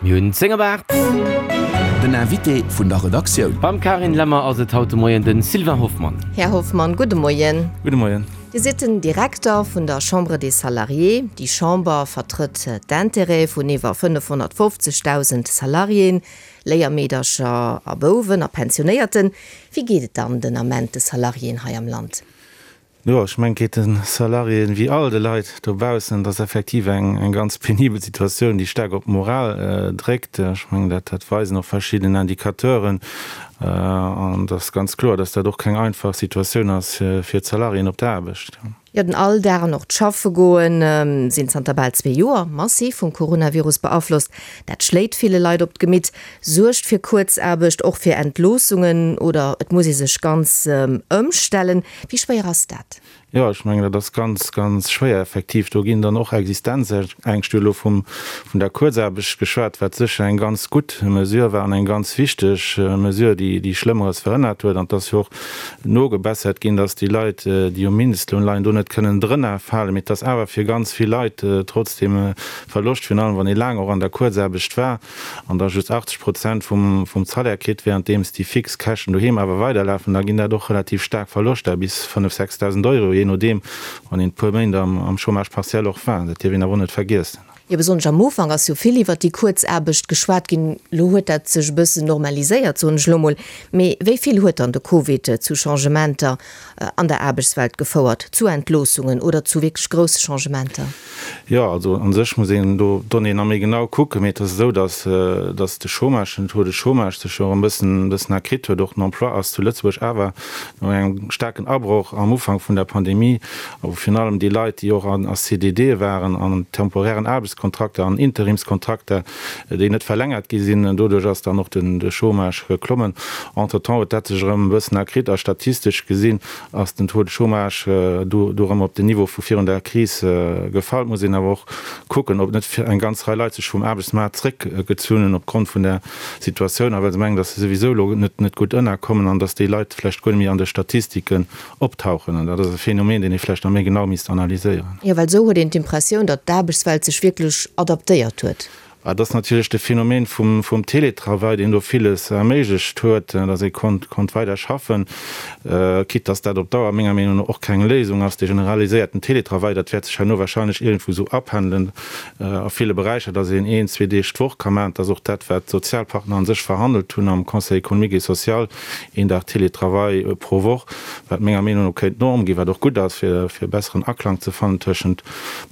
Mir hunn 10 op 8. Den Invité vun der Redaktioun. Beim Carine Lemmer ass et haut de Moien de Sylvain Hoffmann. Här Hoffmann, gudde Moien. Gudde Moien. Dir sidd den Direkter vun der Chambre des Salariés. Déi Chamber vertrëtt d'Intérêtë vun iwwer 550.000 Salariéen, Léiermeedercher a Bouwen a Pensionéierten. Wéi geet et dann den Ament de Salariéen hei am Land? Jo, ech mengen, et geet de Salariéen wéi all de Leit dobaussen. Et ass effektiv eng ganz penibel Situatioun, déi staark op d'Moral dréckt. Ech mengen, dat dat weisen och verschidden Indicateuren. An et ass ganz kloer, dass dat och keng einfach Situatioun ass fir d'Salariéen op der Aarbecht. Jo, den Alldag an och d'Schaffe goen sinn zanter bal zwee Joer massiv vum Coronavirus beaflosst. Dat schléit ville Leit op d'Gemitt, suergt fir Kuerzaarbecht, och fir Entloossungen oder et muss ee sech ganz ëmstellen. Wéi schwéier ass dat? Jo, ech mengen, dat ass ganz, ganz schwéier effektiv. Do ginn dann och Existenzängscht. Hu elo vum, vun der Kuerzaarbecht geschwat, wat sécher eng ganz gutt Mesure war an eng ganz wichteg Mesure, déi, déi Schlëmmeres verhënnert huet. An et ass jo och nogebessert ginn, dass déi Leit, déi um Mindestloun leien, do net kënnen drënner falen. Mee et ass awer fir ganz vill Leit trotzdem e Verloscht, virun allem wann ee laang och an der Kuerzaarbecht war. an da just 80 Prozent vum vum Salaire kritt, währenddeems déi fix Käschten doheem awer weiderlafen, da ginn dat och relativ staark Verloschter, bis 5, 6.000 Euro, jee nodeem, wann een e puer Méint am am Chômage partiel och war. Dat dierf een awer och net vergiessen. Jo, besonnesch am Ufank ass jo vill iwwert déi Kuerzaarbecht geschwat ginn. Elo huet dat sech e bëssen normaliséiert, soen ech elo mol. Mee wéi vill huet dann de Covid zu Changementer an der Aarbechtswelt gefouert, zu Entloossungen oder zu wierklech grousse Changementer? Jo, also a sech muss een do d'Donnéeën nach méi genau kucken, mee et ass esou, datt datt de Chômage, den Taux de chômage sech jo erëm e bëssen e bëssen erkritt huet. Och den Emploi ass zu Lëtzebuerg awer no engem staarken Abroch am Ufank vun der Pandemie, a wou virun allem déi Leit, déi och an a CDDe waren, an temporären Aarbechtskontrakter, an Interimskontrakter, déi net verlängert gi sinn, doduerch ass dann och den de Chômage geklommen. Entretemps huet dat sech erëm e bëssen erkritt a statistesch gesinn ass den Taux de chômage do do erëm op den Niveau vu virun der Kris gefall. Et muss een awer och kucken, ob net eng ganz Rei Leit sech vum Aarbechtsmaart zréckgezunn hunn opgrond vun der Situatioun a well se mengen, datt se souwisou elo net net gutt ënnerkommen an datt déi Leit vläicht guer net méi an de Statistiken optauchen. An dat ass e Phänomen, deen ee vläicht nach méi genau misst analyséieren. Jo, well esou huet een d'Impressioun, datt d'Aarbechtswelt sech wierklech adaptéiert huet. Et ass natierlech de Phänomen vum Télétravail, deen do villes erméiglecht huet, datt ee konnt weider schaffen, quitte datt dat op Dauer menger Meenung no och keng Léisung ass. De generaliséierten Télétravail, dat wäert sech herno wahrscheinlech iergendwou esou apendelen a ville Beräicher, datt een een, zwee Deeg d'Woch ka maachen. Dat ass och dat, wat d'Sozialpartner a sech verhandelt hunn am Conseil économique et social, een Dag Télétravail pro Woch, wat menger Meenung no kéint d'Norm ginn, wat och gutt ass, fir e besseren Aklang ze fannen tëschent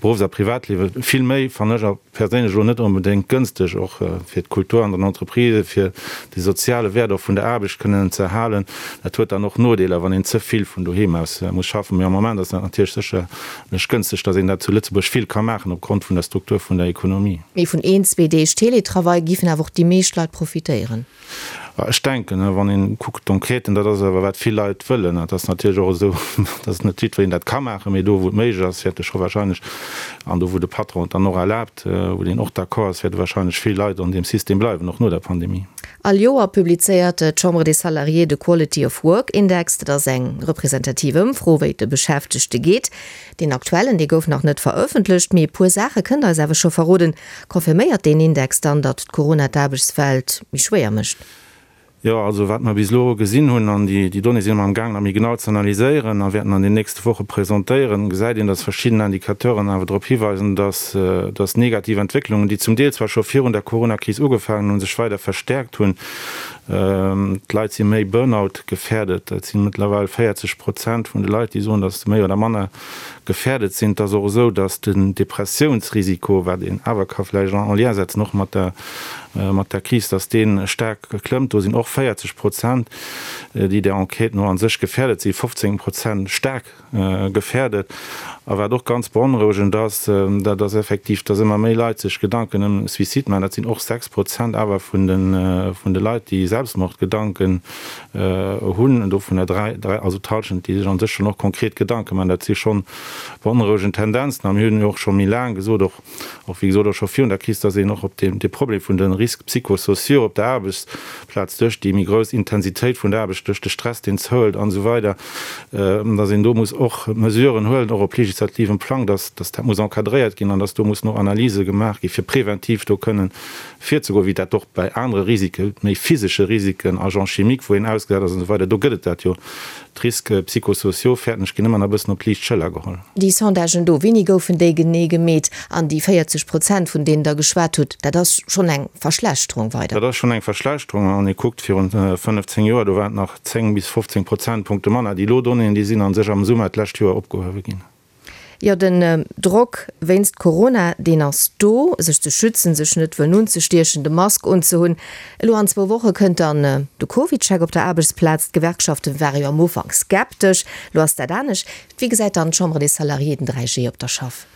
Beruffs a Privatliewen. Vill méi, fannen ech, perséinlech elo net onbedéngt gënschteg, och fir d'Kultur an den Entreprisë, fir de soziale Wäert och vun der Aarbecht kënnen ze erhalen. Dat huet dann och Nodeeler, wann een ze vill vun doheem aus muss schaffen. Mee am Moment ass dat natierlech sécherlech gënschteg, datt een dat zu Lëtzebuerg vill ka maachen opgrond vun der Struktur vun der Ekonomie. Mee vun een, zwee Deeg Teletravail giffen awer och déi meescht Leit profitéieren. Ech denken, wann een kuckt d'Enquêten, dat ass awer wat vill Leit wëllen. Et ass natierlech och esou, datt net jiddwereen dat ka maachen, mee do wou et méiglech ass, wäerte scho wahrscheinlech, an do wou de Patron et dann och erlaabt, wou deen och d'accord ass, wäerte wahrscheinlech vill Leit an deem System bleiwen, och no der Pandemie. All Joer publizéiert d'Chambre des Salariés de Quality of Work Index. Dat ass eng representativ Ëmfro, wéi et de Beschäftegte geet. Deen aktuellen, dee gouf nach net verëffentlecht, mee e puer Saache kënnt Der eis awer scho verroden. Confirméiert deen Index dann, datt d'Corona d'Aarbechtswelt méi schwéier mécht? Jo, also wat mer bis elo gesinn hunn, an déi Donnéeë si mer am gaang nach méi genau ze analyséieren a wäerten an den nächste Woche presentéieren, gesäit een, datt verschidden Indicateuren awer drop hiweisen, datt datt negativ Entwécklungen, déi zum Deel zwar scho virun der Coronakris ugefaangen hunn, sech weider verstäerkt hunn. D'Leit si méi Burnout gefährdet. Dat si mëttlerweil 40 Prozent vun de Leit, déi soen, datt se méi oder manner gefährdet sinn. Et ass och esou, datt den Depressiounsrisiko, wat een awer ka vläicht en lien setzen och mat der, mat der Kris, datt dee staark klëmmt. Do sinn och 40 Prozent, déi der Enquête no a sech gefährdet sinn, 15 Prozent staark gefährdet. A wat och ganz beonrouegend ass, dat ass effektiv, dass ëmmer méi Leit sech Gedanken ëm Suicide maachen. Dat sinn och 6 Prozent awer vun de, vun de Leit, déi Selbstmordgedanken hunn, dovunner 3, 3, also d'Hallschent, déi sech a sech schonn och konkret Gedanke maachen. Dat si schonn beonrouegend Tendenzen. A mir hunn jo och scho méi laang gesot, och, och wéi gesot och scho virun der Kris, dass een och op dee, dee Problem vun de. Risques psychosociaux op der Aarbechtsplaz duerch déi méi grouss Intensitéit vun der Aarbecht, duerch de Stress, deen zouhëlt an esou weider, dass een do muss och Mesuren huelen, och op legislativem Plang, dass dat muss encadréiert ginn an dass do mussen och Analyse gemaach gi fir preventiv do kënnen virzegoen, wéi dat och bei anere Risike, méi physesche Risiken, Agents chimiques, wou een ausgesat ass an esou weider, do gëtt et dat jo. D'Risques psychosociaux, fäerten ech, ginn ëmmer nach e bëssen op d'liicht Schëller geholl. Déi Sondagen do, wéini goufen déi genee gemeet? An déi 40 Prozent, vun deenen Der geschwat hutt, dat ass schonn eng Verschlechterung weider? Dat ass schonn eng Verschlechterung. Wann ee kuckt, virun 15 Joer, do waren et nach 10 bis 15 Prozentpunkte manner. Déi elo Donnéeën, déi sinn a sech am Summer d'lescht Joer opgehuewe ginn. Jo, den Drock wéinst Corona, deen ass do, sech ze schützen, sech net wëllen unzestiechen, de Mask unzehunn. Elo an zwou Woche kënnt dann de CovidCheck op der Aarbechtsplaz. D'Gewerkschaften ware jo am Ufank skeptesch, elo ass dat anescht. Wéi gesäit dann d'Chambre des Salariés den 3G op der Schaff?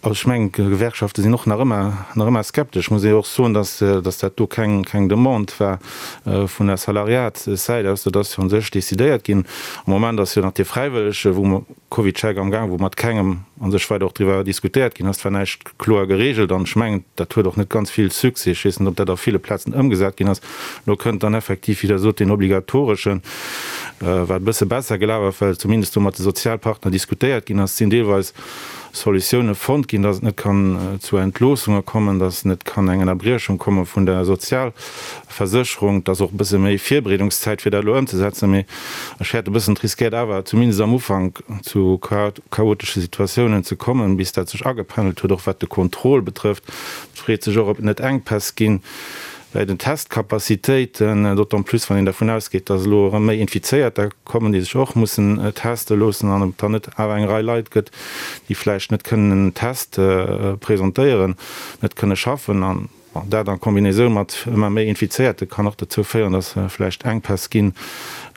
Also ech mengen, d'Gewerkschafte sinn och nach ëmmer, nach ëmmer skeptesch. Muss ee och soen, datt, datt dat do keng, keng Demande war vun der Salariatssäit aus. Dat ass jo u sech decidéiert ginn. Am Moment ass jo nach dee fräiwëllege, wou mer, CovidCheck am Gaang, wou mat kengem a sech weider och driwwer diskutéiert ginn ass. Et war näischt kloer geregelt an ech mengen, dat huet och net ganz vill Succès. Ech weess net, ob dat a ville Plazen ëmgesat ginn ass. Elo kënnt dann effektiv, wéi Der sot, deen obligatoreschen, wat e bësse besser gelaf ass, well zumindest do mat de Sozialpartner diskutéiert ginn ass. Et sinn deelweis Solutioune fonnt ginn, dass et net kann zu Entloossunge kommen, dass net kann eng Ënnerbriechung komme vun der Sozialversécherung. Et ass och e bësse méi Virbereedungszäit, fir dat elo ëmzesetzen. Mee ech fäerte e bëssen, et riskéiert awer zumindest am Ufank zu chaotesche Situatiounen ze kommen, bis dat sech agependelt huet, och wat de Contrôle betrëfft. Et freet sech och, ob et net Enkpäss ginn bäi den Testcapacitéiten, d'autant plus wann een dervun ausgeet, dass elo erëm méi Infizéierter kommen, déi sech och mussen teste loossen, an ob et dann net awer eng Rei Leit gëtt, déi vläicht net kënnen en Test presentéieren, net kënne schaffen. An dat a Kombinaisoun mat ëmmer méi Infizéierte kann och dozou féieren, dass vläicht Enkpäss ginn,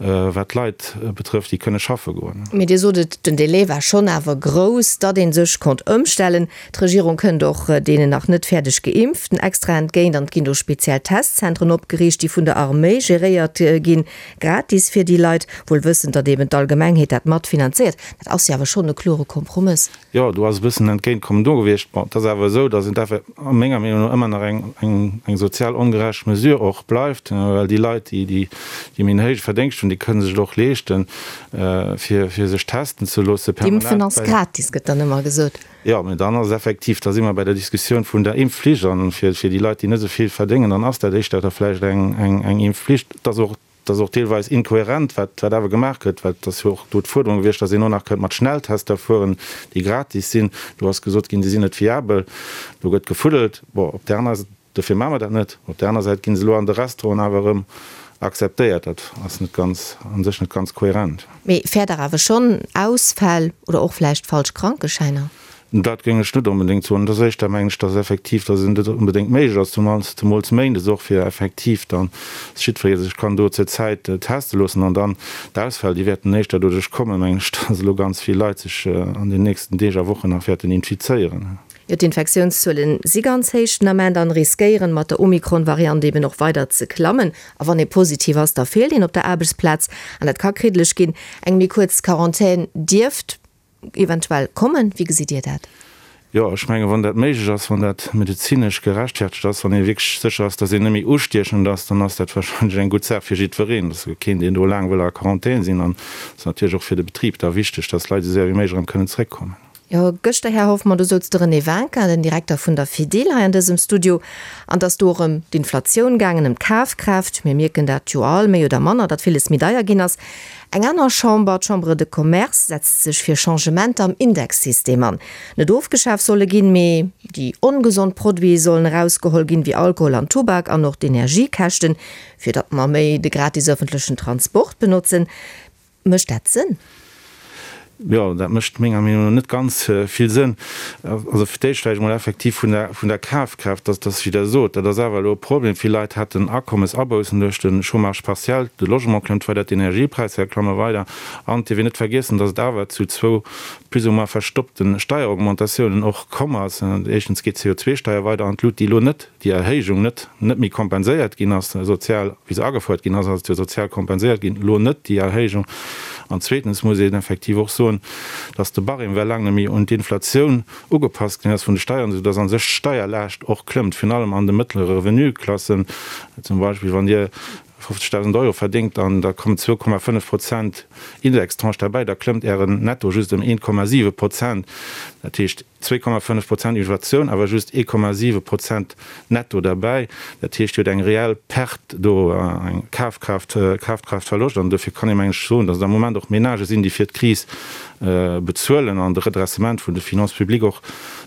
wat d'Leit betrëfft, déi kënne schaffe goen. Mee Dir sot et, den Delai war schonn awer grouss, datt ee sech konnt ëmstellen. D'Regierung kënnt och deenen nach net fäerdeg Geimpften extra entgéint an et ginn do speziell Testzentren opgeriicht, déi vun der Arméi geréiert ginn, gratis fir déi Leit, wuel wëssend, datt eben d'Allgemengheet dat mat finanzéiert. Dat ass jo awer schonn e klore Kompromëss. Jo, do ass e bëssen Entgéintkommen do gewiescht. Bon, et ass awer esou, datt et awer a menger Meenung no ëmmer nach eng eng sozial ongerecht Mesure och bleift, well déi Leit, déi déi méi en héije Verdéngscht hunn, déi kënne sech et och leeschten, fir fir sech testen ze loosse permanent. D'Impfen ass gratis, gëtt dann ëmmer gesot. Jo, mä dann ass effektiv, da si mer bei der Diskussioun vun der Impfflicht. An fir déi Leit, déi net esou vill verdéngen, dann ass dat éischter da vläicht eng Impfflicht. Et ass och, et ass och deelweis inkohärent, wat wat awer gemaach gëtt, well et ass jo och do d'Fuerderung gewiescht, datt een och nach kënnt mat Schnelltester fueren, déi gratis sinn. Do ass gesot ginn, déi sinn net fiabel. Do gëtt gefuddelt. Bon, op där aner. Dofir maache mer dat net. Op där aner Säit gi se elo an de Restauranten awer erëm akzeptéiert. Dat ass net ganz, a sech net ganz kohärent. Mee fäert Der awer schonn Ausfäll oder och vläicht falsch Krankeschäiner? Dat géing ech net onbedéngt soen. Et ass éischter, mengen ech, dass effektiv, dass et net onbedéngt méiglech ass, zumools, zemools méindes och, fir effektiv dann, dass jiddweree sech kann do zur Zäit teste loossen. An dann d'Ausfäll, déi wäerten éischter doduerch kommen, mengen ech, dass elo ganz vill Leit sech an den nächsten Deeg a Wochen nach wäerten infizéieren. Jo, d'Infektiounszuelen si ganz héich den Ament an riskéieren mat der Omikron-Variant eben och weider ze klammen. A wann ee positiv ass, da feelt een op der Aarbechtsplaz an dat ka kriddeleg ginn. Eng méi kuerz Quarantän dierft eventuell kommen. Wéi gesitt Dir dat? Jo, ech mengen, wann dat méiglech ass, wann dat medezinesch gerechtfertegt ass, wann ee wierklech sécher ass, datt een net méi ustiechend ass, dann ass dat warscheinlech eng gutt Saach fir jiddwereen. Et ass jo keen, deen do laang wëll a Quarantän sinn. An et ass natierlech och fir de Betrib da wichteg, datt d'Leit esou séier wéi méiglech erëm kënnen zréckkommen. Jo, gëschter, Här Hoffmann, do souz de René Winkin, den Direkter vun der Fedil, hei an dësem Studio, an et ass do och ëm d'Inflatioun gaangen, ëm d'Kafkraaft. Mir mierken dat jo all, méi oder manner, datt villes méi deier ginn ass. Eng aner Chamber, d'Chambre de Commerce, setzt sech fir Changementer am Indexsystem an. Net ofgeschaf soll e ginn, mee déi ongesond Produite sollen erausgeholl ginn, wéi Alkohol an Tubak an och d'Energiekäschten, fir datt mer méi de gratis ëffentlechen Transport benotzen. Mécht dat Sënn? Jo, dat mécht menger Meenung no net ganz vill Sënn. Also fir d'éischt vläicht emol effektiv vun der, vun der Kafkraaft, dass, dass, wéi Der sot, dat ass awer elo e Problem. Vill Leit haten Akommesaboussen duerch de Chômage partiel, de Logement klëmmt weider, d'Energiepräisser klamme weider an et dierf een net vergiessen, dass et awer zu zwou plus ou moins verstoppte Steieraugmentatiounen och komm ass. Éischtens geet d'CO2-Steier weider an d'Lut, déi elo net déi Erhéijung net net méi kompenséiert ginn ass, sozial, wéi se agefouert ginn ass, ass et jo sozial kompenséiert ginn, elo net déi Erhéijung. An zweetens muss een effektiv och soen, dass de Barème well laang net méi un d'Inflatioun ugepasst ginn ass vun de Steieren, soudass a sech d'Steierlaascht och klëmmt, virun allem an de mëttlere Revenuklassen. Zum Beispill wann Dir 50.000 Euro verdéngt an da kommen 2,5 Prozent Indextranche derbäi, da klëmmt Ären Netto just ëm 1,7 Prozent. Dat heescht 2,5 Prozent Inflatioun, awer just 1,7 Prozent Netto derbäi. Dat heescht, Dir hutt eng reell Perte do, eng Kafkraaft, Kafkraaftverloscht. An dofir kann ee mengen ech soen, datt et am Moment och Menagë sinn, déi fir d'Kris bezuelen an de Redressement vun de Finances publiques och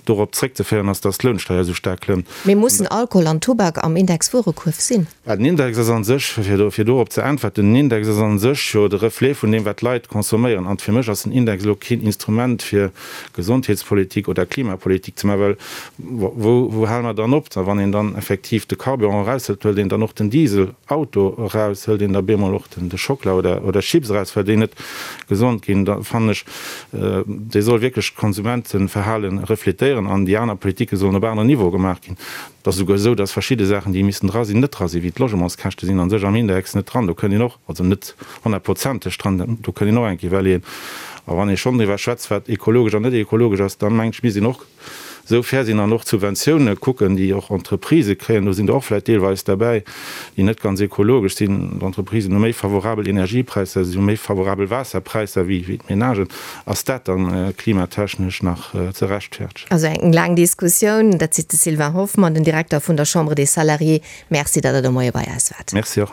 dorop zréckzeféieren ass, datt d'Lounsteier esou staark klëmmt. Mee mussen Alkohol an Tubak am Indexwuerekuerf sinn? Den Index ass a sech, fir dorop ze äntwerten, den Index ass a sech jo de Reflet vun deem, wat d'Leit consomméieren. An fir mech ass den Index elo keen Instrument, fir Gesondheetspolitik oder Klimapolitik ze maachen, well wou, wou hale mer dann op? A wann een dann effektiv de Carburant eraushëlt, hëlt een dann och den Dieselauto eraus, hëlt een da bemol och de Schockela oder, oder Chips eraus, well déi net gesond ginn? Da fannen ech, dee soll wierklech d'Konsumenteverhale refletéieren an déi aner Politike sollen op aneren Niveau gemaach ginn. Et ass esouguer esou, dass verschidde Saachen, déi missten dra sinn, net dra sinn, wéi d'Logementskäschte sinn a sech am Index net dran. Do kënnt een och, also net honnertprozenteg dran, do kënnt een och eng Kéier iwwerleeën. A wann ee schonn driwwer schwätzt, wat ekologesch an net ekologesch ass, da mengen ech, misst een och esou fair sinn an och d'Subventioune kucken, déi och Entreprisë kréien. Do sinn der och vläicht deelweis derbäi, déi net ganz ekologesch sinn. D'Entreprisen hu méi favorabel Energiepräisser, si hu méi favorabel Waasserpräisser wéi d'Menagen. Ass dat dann klimatechnesch nach ze rechtfertegen? Also eng laang Diskussioun. Dat seet de Sylvain Hoffmann, den Direkter vun der Chambre des Salariés. Merci, datt Der de Moie bei eis waart. Merci och.